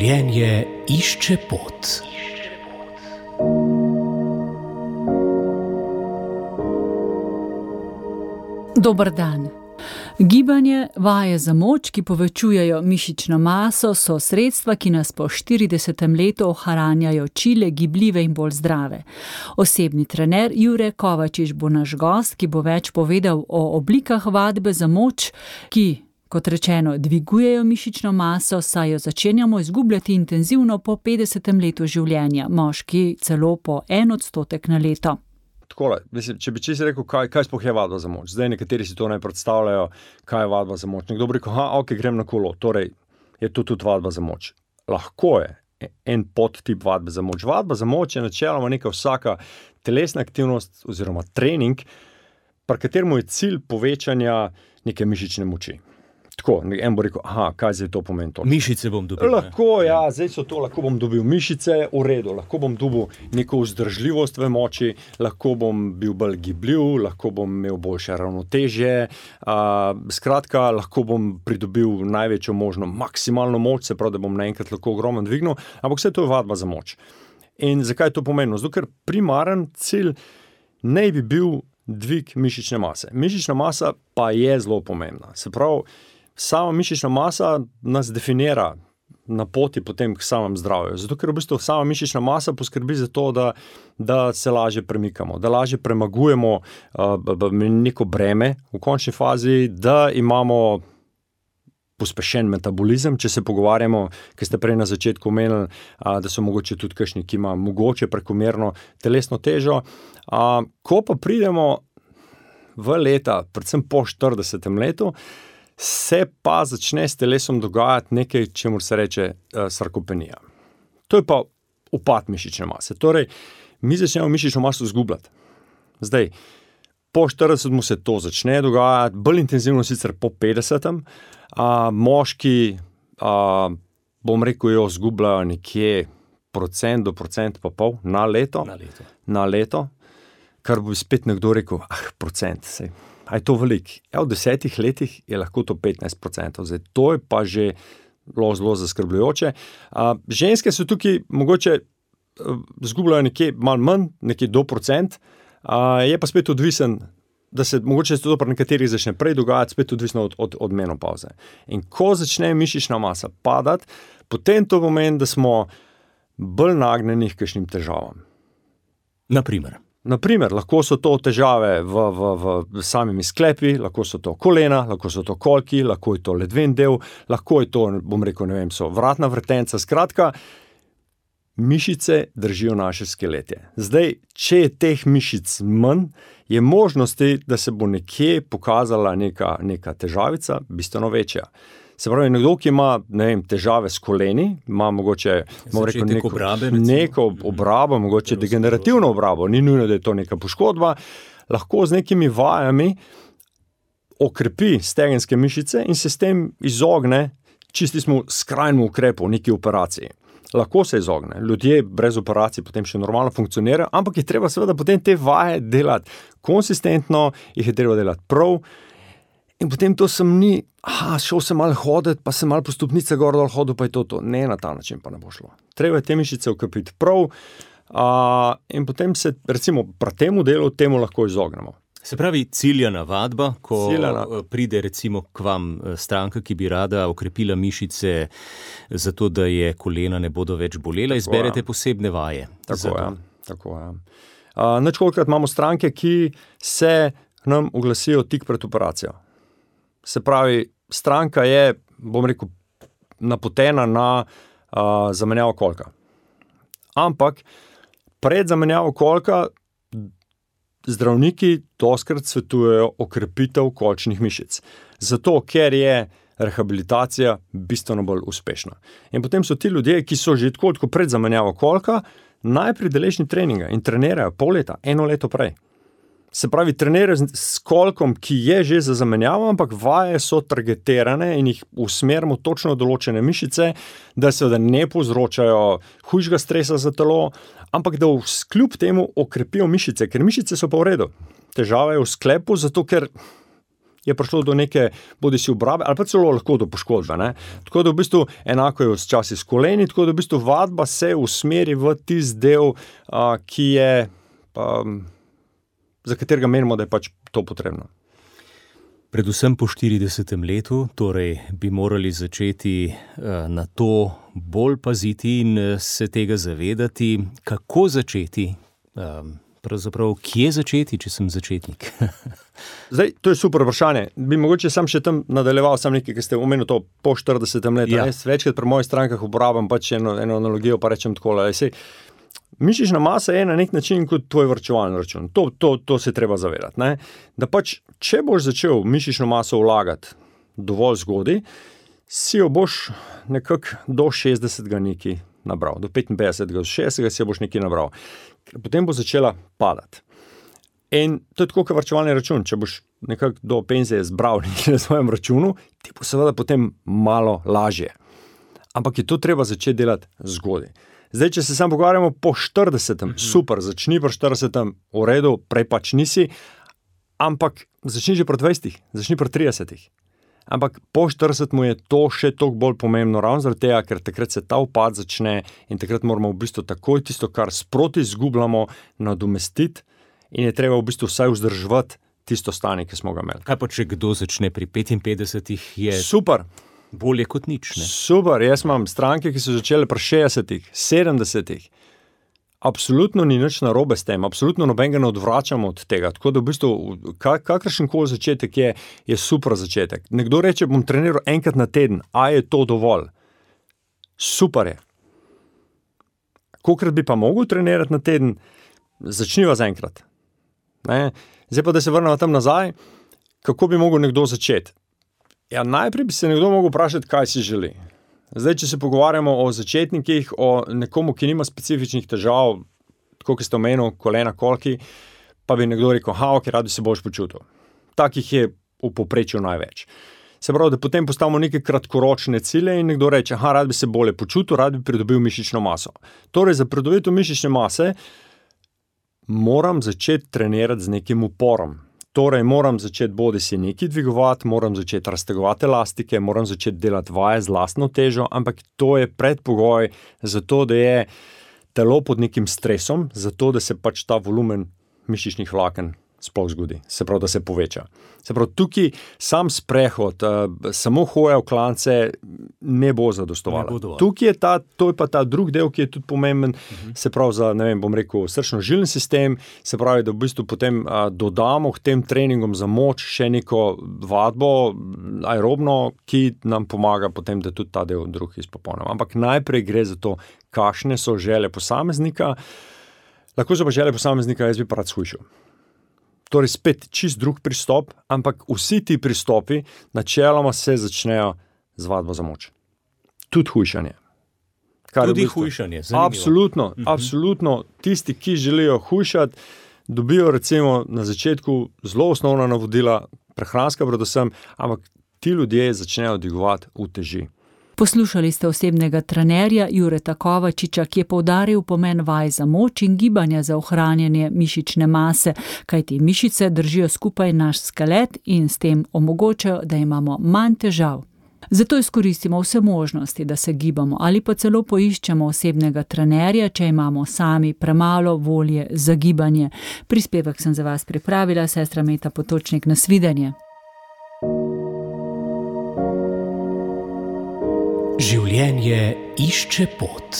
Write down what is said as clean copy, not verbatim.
Življenje išče pot. Dober dan. Gibanje, vaje za moč, ki povečujejo mišično maso, so sredstva, ki nas po 40. letu ohranjajo čile, gibljive in bolj zdrave. Osebni trener Jure Kovačič bo naš gost, ki bo več povedal o oblikah vadbe za moč, ki, kot rečeno, dvigujejo mišično maso, saj jo začenjamo izgubljati intenzivno po 50. letu življenja, moški celo po 1% na leto. Takole, mislim, če bi čisto rekel, kaj sploh je vadba za moč. Zdaj nekateri si to ne predstavljajo, kaj je vadba za moč. Nekdo bi rekel, ok, grem na kolo, torej je to tudi vadba za moč. Lahko je en podtip vadbe za moč. Vadba za moč je načeloma neka vsaka telesna aktivnost oziroma trening, pri katerem je cilj povečanja neke mišične moči. Tako, en bo rekel, kaj zdaj to pomeni to? Mišice bom dobil. Lahko, zdaj so to, lahko bom dobil mišice, v redu, lahko bom dobil neko vzdržljivost v moči, lahko bom bil bolj gibljiv, lahko bom imel boljše ravnotežje, skratka, lahko bom pridobil največjo možno maksimalno moč, se pravi, da bom naenkrat lahko ogromno dvignil, ampak vse to je vadba za moč. In zakaj je to pomembno? Zato, ker primaren cilj ne bi bil dvig mišične mase. Mišična masa pa je zelo pomembna. Se pravi, sama mišična masa nas definira na poti potem k samem zdravju. Zato, ker v bistvu sama mišična masa poskrbi za to, da se lažje premikamo, da lažje premagujemo neko breme v končni fazi, da imamo pospešen metabolizem, če se pogovarjamo, ker ste prej na začetku omenili, da so mogoče tudi kakšni, ki ima mogoče prekomerno telesno težo. Ko pa pridemo v leta, predvsem po 40. letu, se pa začne s telesom dogajati nekaj, čemur se reče sarkopenija. To je pa upad mišične mase. Torej, mi začnemo mišično maso izgubljati. Zdaj, po 40 se to začne dogajati, bolj intenzivno sicer po 50. Moški, bom rekel, jo izgubljajo nekje 1% do 1,5% na leto. Na leto. Kar bo spet nekdo rekel, procent, sej. A je to veliko? V 10 letih je lahko to 15%. Zdaj, to je pa že zelo zaskrbljujoče. Ženske so tukaj mogoče izgubljajo nekje malo manj, nekje do procent, je pa spet odvisen, da se mogoče to pri nekaterih začne prej dogajati, spet odvisno od menopavze. In ko začne mišična masa padati, potem to pomeni, da smo bolj nagnjeni k kakšnim težavam. Naprimer, lahko so to težave v samimi sklepi, lahko so to kolena, lahko so to kolki, lahko je to ledven del, lahko je to, bom rekel, so vratna vrtenca, skratka, mišice držijo naše skeletje. Zdaj, če je teh mišic manj, je možnosti, da se bo nekje pokazala neka težavica bistveno večja. Se pravi, nekdo, ki ima, težave s koleni, ima mogoče neko obrabo, mogoče degenerativno obrabo, ni nujno, da je to neka poškodba, lahko z nekimi vajami okrepi stegenske mišice in se s tem izogne čistemu skrajnemu ukrepu, neki operaciji. Lahko se izogne. Ljudje brez operacij potem še normalno funkcionirajo, ampak je treba seveda potem te vaje delati konsistentno, jih je treba delati prav. In potem to sem ni, šel sem malo hoditi, pa sem malo po stopnice gor dol hodil, pa je to. Ne, na ta način pa ne bo šlo. Treba je te mišice ukrepiti prav in potem se, recimo, pri temu delu temu lahko izognemo. Se pravi, ciljana vadba, ko pride recimo k vam stranka, ki bi rada okrepila mišice zato, da je kolena ne bodo več bolela, izberete posebne vaje. Tako je. Ničkolikrat imamo stranke, ki se nam oglasijo tik pred operacijo. Se pravi, stranka je, bom rekel, napotena na zamenjavo kolka. Ampak pred zamenjavo kolka zdravniki dostikrat svetujejo okrepitev kolčnih mišic. Zato, ker je rehabilitacija bistveno bolj uspešna. In potem so ti ljudje, ki so že tako pred zamenjavo kolka, najprej deležni treninga in trenirajo pol leta, 1 leto prej. Se pravi, trenirajo s kolkom, ki je že za zamenjavo, ampak vaje so targetirane in jih usmerimo točno določene mišice, da seveda ne povzročajo hujšega stresa za telo, ampak da kljub temu okrepijo mišice, ker mišice so pa v redu. Težava je v sklepu, zato ker je prišlo do neke bodisi obrabe ali pa celo lahko do poškodbe. Ne? Tako da v bistvu enako je včasih s koleni, tako da v bistvu vadba se usmeri v tisti del, ki je, za katerega menimo, da je pač to potrebno. Predvsem po 40. letu, torej bi morali začeti na to bolj paziti in se tega zavedati. Kako začeti? Pravzaprav, kje začeti, če sem začetnik? Zdaj, to je super vprašanje. Bi mogoče sam še tam nadaljeval nekaj, ki ste omenili to po 40. letu. Ja. Jaz večkrat pri mojih strankah uporabljam pač eno analogijo, pa rečem takole. Mišična masa je na nek način kot tvoj varčevalni račun. To se treba zavedati. Ne? Da pač, če boš začel mišično maso vlagati dovolj zgodaj, si jo boš nekako do 60. nekaj nabral. Do 55. do 60. si jo boš nekaj nabral. Potem bo začela padati. In to je tako kot varčevalni račun. Če boš nekako do penzije zbral nekaj na svojem računu, ti bo seveda potem malo lažje. Ampak je to treba začeti delati zgodaj. Zdaj, če se sam pogovarjamo po 40. Super, začni pri 40. v redu, prej pač nisi, ampak začni že pri 20, začni pri 30. Ampak po 40 mu je to še toliko bolj pomembno, ravno zaradi tega, ker takrat se ta upad začne in takrat moramo v bistvu takoj tisto, kar sproti izgubljamo, nadomestiti in je treba v bistvu vsaj vzdrževati tisto stanje, ki smo ga imeli. Kaj pa, če kdo začne pri 55, je... Super. Bolje kot nič, ne? Super, jaz imam stranke, ki so začele pri 60, 70. Absolutno ni nič narobe s tem, absolutno nobenega ne odvračamo od tega. Tako da v bistvu, kakršenkoli začetek je super začetek. Nekdo reče, bom treniral enkrat na teden, a je to dovolj? Super je. Kolikrat bi pa mogel trenirati na teden, začniva z enkrat. Ne? Zdaj pa, da se vrnemo tam nazaj, kako bi mogel nekdo začeti? Ja, najprej bi se nekdo mogel vprašati, kaj si želi. Zdaj, če se pogovarjamo o začetnikih, o nekomu, ki nima specifičnih težav, tako kot ste omenili, kolena, kolki, pa bi nekdo rekel, ok, rad bi se boljš počutil. Takih je v povprečju največ. Se pravi, da potem postavimo neke kratkoročne cilje in nekdo reče, rad bi se bolje počutil, rad bi pridobil mišično maso. Torej, za pridobitev mišične mase moram začeti trenirati z nekim uporom. Torej, moram začeti bodisi nekaj dvigovati, moram začeti raztegovati elastike, moram začeti delati vaje z lastno težo, ampak to je predpogoj za to, da je telo pod nekim stresom, zato da se pač ta volumen mišičnih vlaken sploh zgodi, se pravi, da se poveča. Se pravi, tukaj sam sprehod, samo hoja v klance ne bo zadostovala. Tukaj je to je pa ta drug del, ki je tudi pomemben, se pravi za, bom rekel, srčno-žilni sistem, se pravi, da v bistvu potem dodamo k tem treningom za moč še neko vadbo aerobno, ki nam pomaga potem, da tudi ta del drug izpopolnimo. Ampak najprej gre za to, kakšne so želje posameznika. Lahko so pa želje posameznika, jaz bi pa rad shujšal. Torej spet čist drug pristop, ampak vsi ti pristopi načeloma se začnejo z vadbo za moč. Tudi hujšanje. Tudi hujšanje, zanimivo. Absolutno. Tisti, ki želijo hujšati, dobijo recimo na začetku zelo osnovna navodila, prehranska predvsem, ampak ti ljudje začnejo dvigovati v teži. Poslušali ste osebnega trenerja Jureta Kovačiča, ki je poudaril pomen vaj za moč in gibanja za ohranjanje mišične mase, kajti mišice držijo skupaj naš skelet in s tem omogočajo, da imamo manj težav. Zato izkoristimo vse možnosti, da se gibamo ali pa celo poiščemo osebnega trenerja, če imamo sami premalo volje za gibanje. Prispevek sem za vas pripravila, sestra Meta Potočnik, nasvidenje. Življenje išče pot.